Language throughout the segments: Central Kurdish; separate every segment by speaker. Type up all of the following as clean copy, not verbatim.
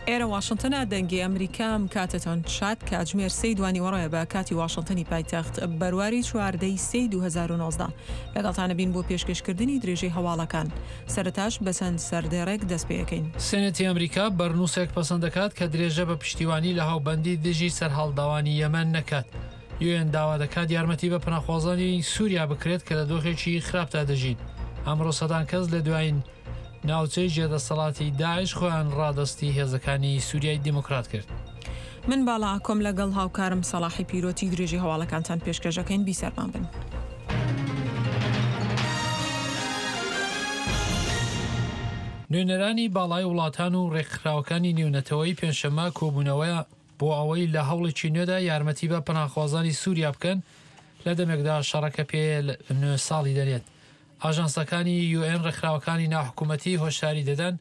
Speaker 1: ئێرە واشنتنە دەنگی ئەمریکا ئەم کاتەتان شاد کاتژمێر سێی دوانیوەڕۆیە بە کاتی واشنتنی پایتەخت بەرواری چواردەی سێی 2019 لەگەڵتانە بین بۆ پێشکەشکردنی درێژەی هەواڵەکان سەرەتاش بە چەند سەردێڕێک دەست پێ ئەکەین.
Speaker 2: سێنێتی ئەمریکا بەرنووسێک پەسەند دەکات کە درێژە بە پشتیوانی لە هاوبەندی دژی سەرهەڵداوانی یەمەن نەکات. یوئێن داوا دەکات یارمەتی بە پەناخوازانی سووریا بکرێت کە لە دۆخێکی خراپدا دەژین. ئەمڕۆ سەدان کەس لە دوایین ناوچەی ژێردەسەڵاتی داعش خۆیان ڕادەستی هێزەکانی سووریای دیموکرات کرد.
Speaker 1: من باڵا ئاکۆم لەگەڵ هاوکارم سەڵاحی پیرۆتی درێژەی هەواڵەکانتان پێشکەش ئەکەین بیسەرمان بن.
Speaker 2: نوێنەرانی باڵای وڵاتان و ڕێکخراوەکانی نێونەتەوەیی پێنجشەممە کۆبوونەوە بۆ ئەوەی لە هەوڵێکی نوێدا یارمەتی بە پەناخوازانی سووریا بکەن لە دەمێکدا شەڕەکە پێ نوێ ساڵی دەنێت. ئاژانسەکانی یوئێن ڕێکخراوەکانی ناحکومەتی هۆشداری دەدەن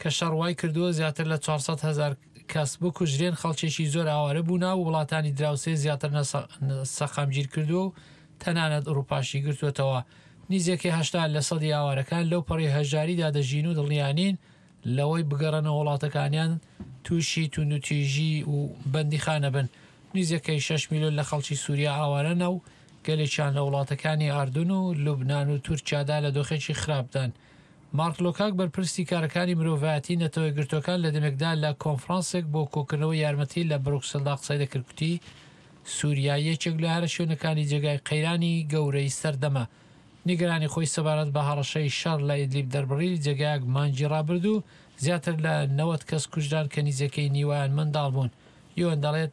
Speaker 2: کە شەڕ وای کردووە زیاتر لە 400 هەزار کەس بکوژرێن، خەڵکێکی زۆر ئاوارە بوونە و وڵاتانی دراوسێ زیاتر ناسەقامگیر کردووە و تەنانەت ئوروپاشی گرتووەتەوە. نیزیکەی 80 لە سەدی ئاوارەکان لەو پەڕی هەژاریدا دەژین و دڵنیا نین لەوەی بگەڕێنەوە وڵاتەکانیان تووشی توندوتیژی و بەندیخانە بن. نیزیکەی شەش میلیۆن لە خەڵکی سووریا ئاوارەنە و گەلێکیان لە وڵاتەکانی ئاردون و لوبنان و تورکیادا لە دۆخێکی خراپدان. مارک لۆکاک بەرپرسی کارەکانی مرۆڤایەتی نەتەوە یەکگرتووەکان لە دەمێکدا لە کۆنفرانسێک بۆ کۆکردنەوەی یارمەتی لە بروکسلدا قسەی دەکرد گوتی سوریا یەکێک لە هەرە شوێنەکانی جێگای قەیرانی گەورەی سەردەمە. نیگەرانی خۆی سەبارەت بە هەڕەشەی شەڕ لە ئیدلیب دەربڕی، جێگایەک مانگی ڕابردوو زیاتر لە 90 کەس کوژران کە نیزیکەی نیوەیان منداڵ بوون. یوئێن دەڵێت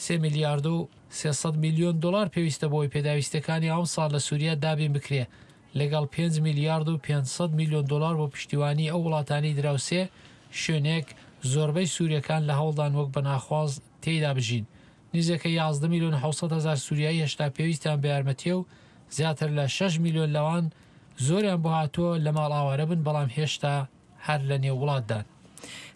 Speaker 2: سێ میلیارد و 300 میلیۆن دۆلار پێویستە بۆ ئەوەی پێداویستیەکانی ئەمساڵ لە سوریا دابین بکرێ لەگەڵ پێنج میلیارد و 500 میلیۆن دۆلار بۆ پشتیوانی ئەو وڵاتانەی دراوسێ، شوێنێک زۆربەی سوریەکان لە هەوڵدان وەک پەناخواز تێیدا بژین. نزیکەی 11 میلیۆن و 700 هەزار سوریایی هێشتا پێویستیان بە یارمەتیە و زیاتر لە شەش میلیۆن لەوان زۆریان بۆ هاتووە لە ماڵ ئاوارە بن بەڵام هێشتا هەر لە نێو وڵاتدان.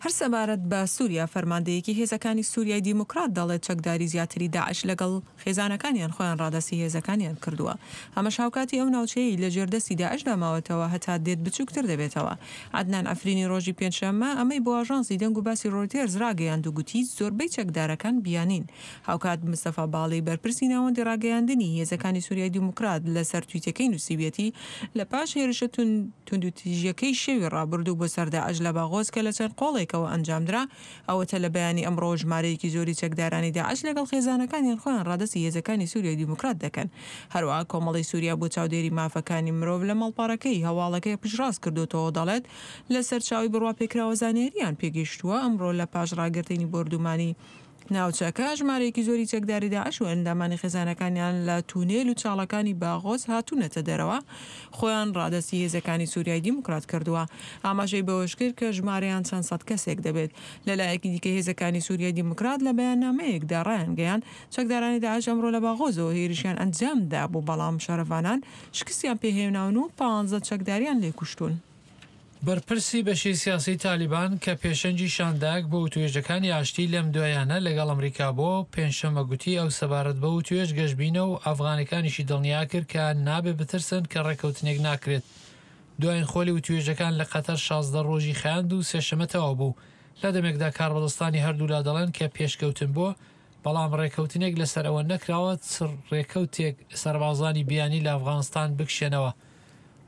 Speaker 1: هەر سەبارەت بە سوریا، فەرماندەیەکی هێزەکانی سوریای دیموکرات دەڵێت چەکداری زیاتری داعش لەگەڵ خێزانەکانیان خۆیان ڕادەستی هێزەکانیان کردووە. ئەمەش هاوکاتی ئەو ناوچەیەی لە ژێر دەستی داعشدا ماوەتەوە هەتا دێت بچووکتر دەبێتەوە. عەدنان عەفرینی ڕۆژی پێنجشەممە ئەمەی بۆ ئاژانسی دەنگ و باسی ڕۆیتێرز ڕاگەیاند و گوتی زۆربەی چەکدارەکان بیانین. هاوکات مستەفا باڵی بەرپرسی ناوەندی ڕاگەیاندنی هێزەکانی سوریای دیموکرات لەسەر تویتەکەی نووسیویەتی لە پاش هێرشە توندوتیژیەکەی شەوی ڕابردوو بۆ سەر داعش لە باغۆز کە لە چەند قۆڵێکەوە ئەنجامدرا، ئەوەتە لە بەیانی ئەمڕۆوە ژمارەیەکی زۆری چەکدارانی داعش لەگەڵ خێزانەکانیان خۆیان ڕادەستی هێزەکانی سوریای دیموکرات دەکەن. هەروەها کۆمەڵەی سوریا بۆ چاودێری مافەکانی مرۆڤ لە ماڵپەڕەکەی هەواڵەکەی پشتڕاست کردۆتەوە و دەڵێت لە سەرچاوەی بڕواپێکراوە زانیارییان پێگەیشتووە ئەمڕۆ لە پاش ڕاگرتنی بۆردومانی ناوچەکە، ژمارەیەکی زۆری چەکداری داعش و ئەندامانی خێزانەکانیان لە تونێل و چاڵەکانی باغۆز هاتوونەتە دەرەوە، خۆیان ڕادەستی هێزەکانی سوریای دیموکرات کردووە. ئاماژەی بەوەشکرد کە ژمارەیان چەند سەد کەسێک دەبێت. لەلایەکی دیکە هێزەکانی سوریای دیموکرات لە بەیاننامەیەکدا ڕایانگەیاند، چەکدارانی داعش ئەمڕۆ لە باغۆزەوە هێرشیان ئەنجامدابوو، بەڵام شەڕڤانان شکستیان پێهێناون و پانزە چەکداریان لێکوشتوون.
Speaker 2: بەرپرسی بەشی سیاسی تالیبان کە پێشەنگی شاندایەک بۆ وتوێژەکانی ئاشتی لەم دوایانە لەگەڵ ئەمریکا بۆ، پێنجشەممە گوتی ئەو سەبارەت بە وتوێژ گەشبینە و ئەفغانەکانیشی دڵنیا کرد کە نابێ بترسن کە ڕێککەوتنێک ناکرێت. دوایین خۆلی وتوێژەکان لە قەتەر 16 ڕۆژی خایاند و سێشەمە تەواو بوو. لە دەمێکدا کاربەدەستانی هەردوولا دەڵێن کە پێشکەوتن بووە، بەڵام ڕێککەوتنێک لەسەر ئەوە نەکراوە چ ڕێکەوتێک سەربازانی بیانی لە ئەفغانستان بکشێنەوە.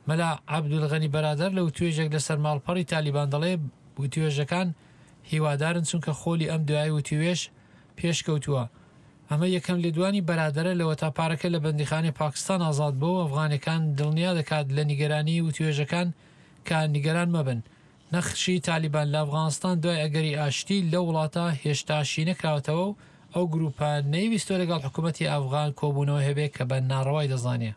Speaker 2: مەلا عەبدولغەنی بەرادەر لە وتوێژێک لەسەر ماڵپەڕی تالیبان دەڵێ وتوێژەکان هیوادارن چونکە خۆلی ئەم دوایەی وتوێژ پێشکەوتووە. ئەمە یەکەم لێدوانی بەرادەرە لەوەتا پارەکە لە بەندیخانەی پاکستان ئازاد بووە و ئەفغانەکان دڵنیا دەکات لە نیگەرانیی وتوێژەکان کە نیگەران مەبن. نەخشی تالیبان لە ئەفغانستان دوای ئەگەری ئاشتی لەو وڵاتە هێشتا شینەکراوەتەوە و ئەو گروپە نەیویستوە لەگەڵ حکومەتی ئەفغان کۆبوونەوە هەبێ کە بە ناڕەوای دەزانێ.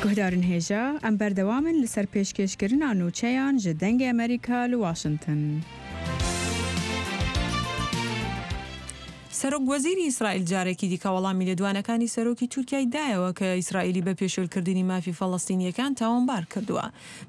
Speaker 3: Guhdarên hêja, em berdewam in li ser pêşkêşkirina nûçeyan ji Dengê Amerîka li Washington.
Speaker 1: سەرۆک وەزیری ئیسرائیل جارێکی دیکە وەڵامی لێدوانەکانی سەرۆکی تورکیای دایەوە کە ئیسرائیلی بە پێشێلکردنی مافی فەڵەستینییەکان تاوانبار کردووە.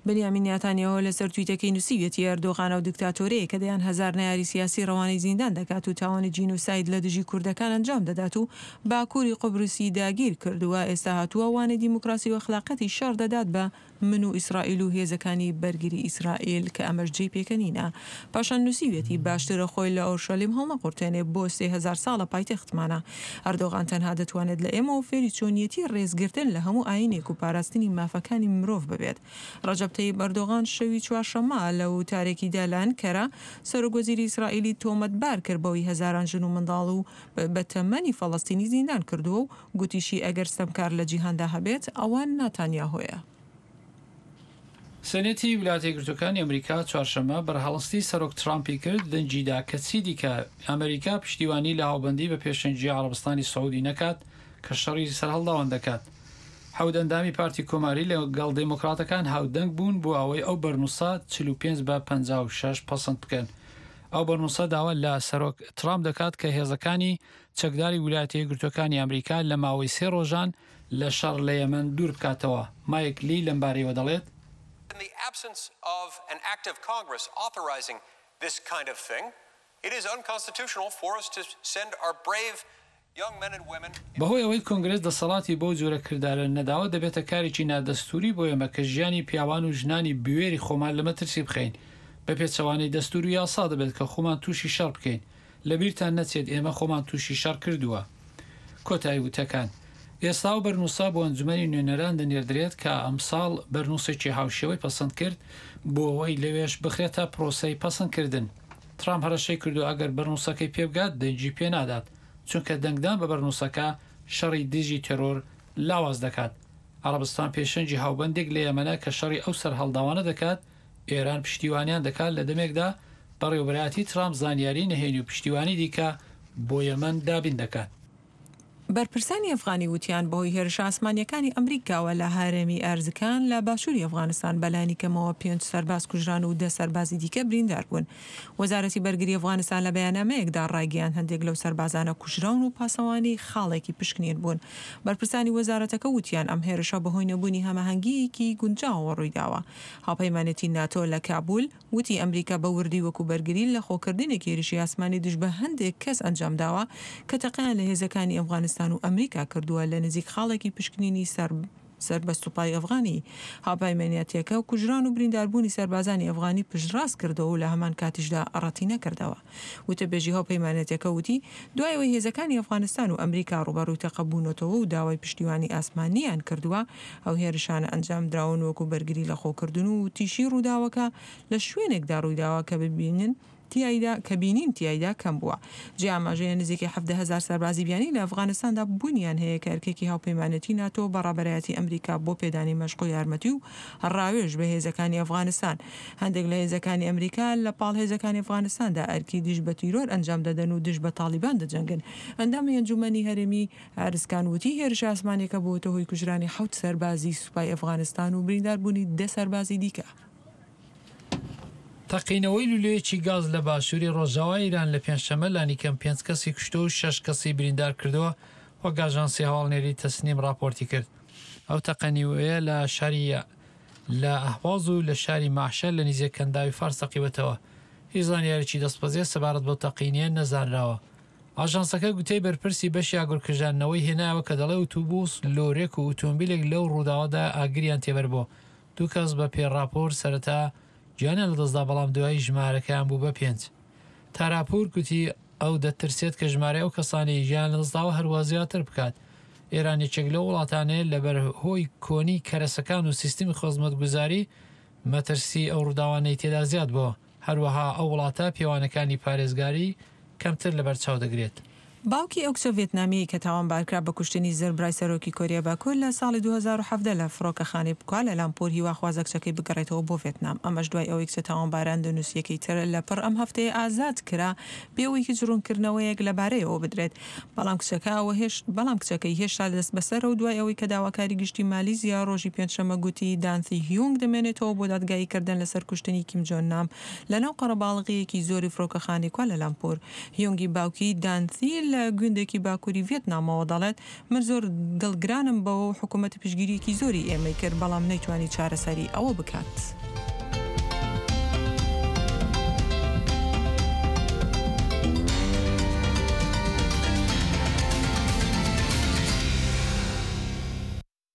Speaker 1: بنیامین ناتانیاهۆ لەسەر تویتەکەی نووسیویەتی ئەردۆغان ئەو دکتاتۆرەیە کە دەیان هەزار نەیاری سیاسی ڕەوانەی زیندان دەکات و تاوانی جینۆساید لە دژی کوردەکان ئەنجام دەدات و باکووری قوبرسی داگیر کردووە ئێستا هاتووە وانەی دیموکراسی و ئەخلاقیەتی شەڕ دەدات بە من و ئیسرائیل و هێزەکانی بەرگری ئیسرائیل کە ئەمەش جێی پێکەنینە. پاشان نووسیویەتی باشترە خۆی لە ئۆرشەلیم هەڵنەقورتێنێ بۆ 3000 ساڵە پایتەختمانە. ئەردۆغان تەنها دەتوانێت لە ئێمەوە فێری چۆنیەتی ڕێزگرتن لە هەموو ئایینێک و پاراستنی مافەکانی مرۆڤ ببێت. ڕەجەب تەیب ئەردۆغان شەوی چوارشەممە لە وتارێکیدا لە ئەنکەرە سەرۆکوەزیری ئیسرائیلی تۆمەتبار کرد بەوەی هەزاران ژن و منداڵ و بەتەمەنی فەڵەستینی زیندان کردووە و گوتیشی ئەگەر ستەمکار لە جیهاندا هەبێت ئەوە ناتانیاهۆیە.
Speaker 2: سێنێتی ویلایەتە یەکگرتووەکانی ئەمریکا چوارشەممە بەرهەڵستی سەرۆک ترامپی کرد دەنگی دا کە چیدیکە ئەمریکا پشتیوانی لە هاوبەندی بە پێشەنگی عەڕەبستانی سعودی نەکات کە شەڕی سەرهەڵداوان دەکات. حەوت ئەندامی پارتی کۆماری لە گەڵ دێمۆکڕاتەکان هاودەنگ بوون بۆ ئەوەی ئەو بەرنووسە 45 بە 56 پەسەند بکەن. ئەو بەرنووسە داوا لە سەرۆک ترامپ دەکات کە هێزەکانی چەکداری ویلایەتە یەکگرتووەکانی ئەمریکا لە ماوەی سێ ڕۆژان لە شەڕ لە یەمەن دوور بکاتەوە. مایک لی لەمبارەیەوە دەڵێت. بەهۆی ئەوەی کۆنگرێس دەسەڵاتی بەو جۆرە کردارە نەداوە، دەبێتە کارێکی نادەستووری بۆ ئێمە کە ژیانی پیاوان و ژنانی بوێری خۆمان لە مەترسی بخەین. بە پێچەوانەی دەستوور و یاسا دەبێت کە خۆمان تووشی شەڕ بکەین. لەبیرتان نەچێت ئێمە خۆمان تووشی شەڕ کردووە. کۆتایی وتەکان. ئێستا ئەو بەرنووسە بۆ ئەنجومەنی نوێنەران دەنێردرێت کە ئەمساڵ بەرنووسێکی هاوشێوەی پەسەند کرد بۆ ئەوەی لەوێش بخرێتە پرۆسەی پەسەندکردن. ترامپ هەڕەشەی کردووە ئەگەر بەرنووسەکەی پێبگات دەنگی پێنادات، چونکە دەنگدان بە بەرنووسەکە شەڕی دژی تێرۆر لاواز دەکات. عەڕەبستان پێشەنگی هاوبەندێک لە یەمەنە کە شەڕی ئەو سەرهەڵداوانە دەکات، ئێران پشتیوانیان دەکات لە دەمێکدا بەڕێوەبەرایەتی ترامپ زانیاری نهێنی و پشتیوانی دیکە بۆ یەمەن دابین دەکات.
Speaker 1: بەرپرسانی ئەفغانی وتیان بەهۆی هێرشە ئاسمانییەکانی ئەمریکاوە لە هەرێمی ئەرزکان لە باشووری ئەفغانستان بەلانی کەمەوە پێنج سەرباز کوژران و دە سەربازی دیکە بریندار بوون. وەزارەتی بەرگری ئەفغانستان لە بەیاننامەیەکدا ڕایگەیاند هەندێک لەو سەربازانە کوژراون و پاسەوانی خاڵێکی پشکنین بوون. بەرپرسانی وەزارەتەکە وتیان ئەم هێرشە بەهۆی نەبوونی هەماهەنگییەکی گونجاوەوە ڕوویداوە. هاوپەیمانێتی ناتۆ لە کابول وتی ئەمریکا بە وردی وەکو بەرگری لە خۆکردنێک هێرشی ئاسمانی دژ بە هەندێک کەس ئەنجامداوە کە تەقەیان لە هێزەکانی ئەفغانستان و ئەمریکا کردووە لە نزیک خاڵێکی پشکنینی سەر سەر بە سوپای ئەفغانی. هاوپەیمانیەتیەکە کوژران و برینداربوونی سەربازانی ئەفغانی پشتڕاست کردەوە و لە هەمان کاتیشدا ڕەتی نەکردەوە. وتەبێژی هاوپەیمانێتیەکە وتی، دوای ئەوەی هێزەکانی ئەفغانستان و ئەمریکا ڕووبەڕووی تەقە بوونەتەوە و داوای پشتیوانی ئاسمانییان کردووە، ئەو هێرشانە ئەنجامدراون وەکو بەرگری لەخۆکردن و وتیشی ڕووداوەکە لە شوێنێکدا ڕوویداوە کە ببینن تیایدا کە بینین تیایدا کەم بووە. جێی ئاماژەیە نزیکەی 17,000 سەربازی بیانی لە ئەفغانستاندا بوونیان هەیە کە ئەرکێکی هاوپەیمانێتی ناتۆ بە ڕابەرایەتی ئەمریکا بۆ پێدانی مەشق و یارمەتی و ڕاوێژ بە هێزەکانی ئەفغانستان. هەندێک لە هێزەکانی ئەمریکا لە پاڵ هێزەکانی ئەفغانستاندا ئەرکی دژ بە تیرۆر ئەنجام دەدەن و دژ بە تاڵیبان دەجەنگن. ئەندامی ئەنجوومەنی هەرێمی ئارزکان وتی هێرشە ئاسمانیەکە بووەتە هۆی کوژرانی حەوت سەربازی سوپای ئەفغانستان و برینداربوونی دە سەربازی دیکە.
Speaker 2: تەقینەوەی لولەیەکی گاز لە باشووری ڕۆژاوای ئیران لە پێنجشەممە لانیکەم پێنج کەسی کوشتووە و شەش کەسی بریندار کردووە، وەک ئاژانسی هەواڵنێری تەسنیم ڕاپۆرتی کرد. ئەو تەقەنیوەیە لە شاری لە ئەهواز و لە شاری مەعشەر لە نیزیک کەنداوی فارس تەقیوەتەوە. هیچ زانیاریی دەستبەجێ سەبارەت بەو تەقینیە نەزانراوە. ئاژانسەکە گوتەی بەرپرسی بەشی ئاگرکژاندنەوەی هێنایەوە کە دەڵێ ئوتوبوس، لۆرێک و ئوتۆمبیلێک لەو ڕووداوەدا ئاگریان تێبەربووە. دوو کەس بە پێی ڕاپۆرت سەرەتا گیانیان لەدەستدا بەڵام دوایی ژمارەکەیان بوو بە پێنج. تاراپوور گوتی ئەو دەترسێت کە ژمارەی ئەو کەسانەی گیانیان لەدەستداوە هەروا زیاتر بکات. ئێران یەکێک لەو وڵاتانەیە لەبەر هۆی کۆنی کەرەسەکان و سیستمی خزمەتگوزاری مەترسی ئەو ڕووداوانەی تێدا زیاد بووە. هەروەها ئەو وڵاتە پێوانەکانی پارێزگاری کەمتر لەبەرچاو دەگرێت.
Speaker 1: باوکی ئەو کچە ڤێتنامییەی کە تاوانبارکرا بە کوشتنی زربرای سەرۆکی کۆریای باکوور لە ساڵی 2017 لە فڕۆکەخانەی کوالا لامپور هیواخوازە کچەکەی بگەڕێتەوە بۆ ڤێتنام ئەمەش دوای ئەوەی کچە تاوانبارە ئەندۆنوسییەکەی تر لە پڕ ئەم هەفتەیە ئازاد کرا بێ ئەوەی هیچ ڕوونکردنەوەیەک لەبارەیەوە بدرێت بەڵام کچەکە ئەوە هێش بەڵام کچەکەی هێشتا دەستبەسەرە و دوای ئەوەی کە داواکاری گشتی مالیزیا ڕۆژی پێنجشەممە گوتی دانثی هیونگ دەمێنێتەوە بۆ دادگاییکردن لەسەر کوشتنی کیم جۆن نام لەناو قەرەباڵغییەکی زۆری فڕۆکەخانەی کوالالامپور. هیونگی باوکی دانثی لە. لە گوندێکی باکووری ڤیێتنامەوە دەڵێت، من زۆر دڵگرانم بەوە و حکومەت پشتگیرییەکی زۆری ئێمەی کرد، بەڵام نەیتوانی چارەسەری ئەوە بکات.